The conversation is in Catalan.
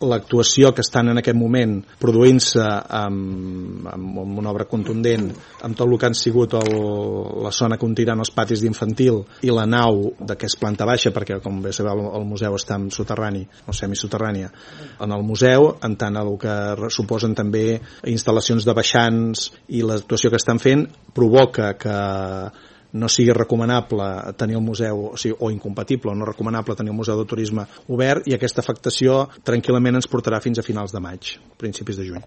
l'actuació que estan en aquest moment produint-se amb una obra contundent, amb tot el que han sigut la zona que continen els patis d'infantil i la nau que és planta baixa, perquè com bé sabeu el museu està en soterrani o semisoterrània en el museu, en tant el que suposen també instal·lacions de baixants i l'actuació que estan fent provoca que no sigui recomanable tenir el museu, o incompatible o no recomanable tenir el museu de turisme obert, i aquesta afectació tranquil·lament ens portarà fins a finals de maig, principis de juny.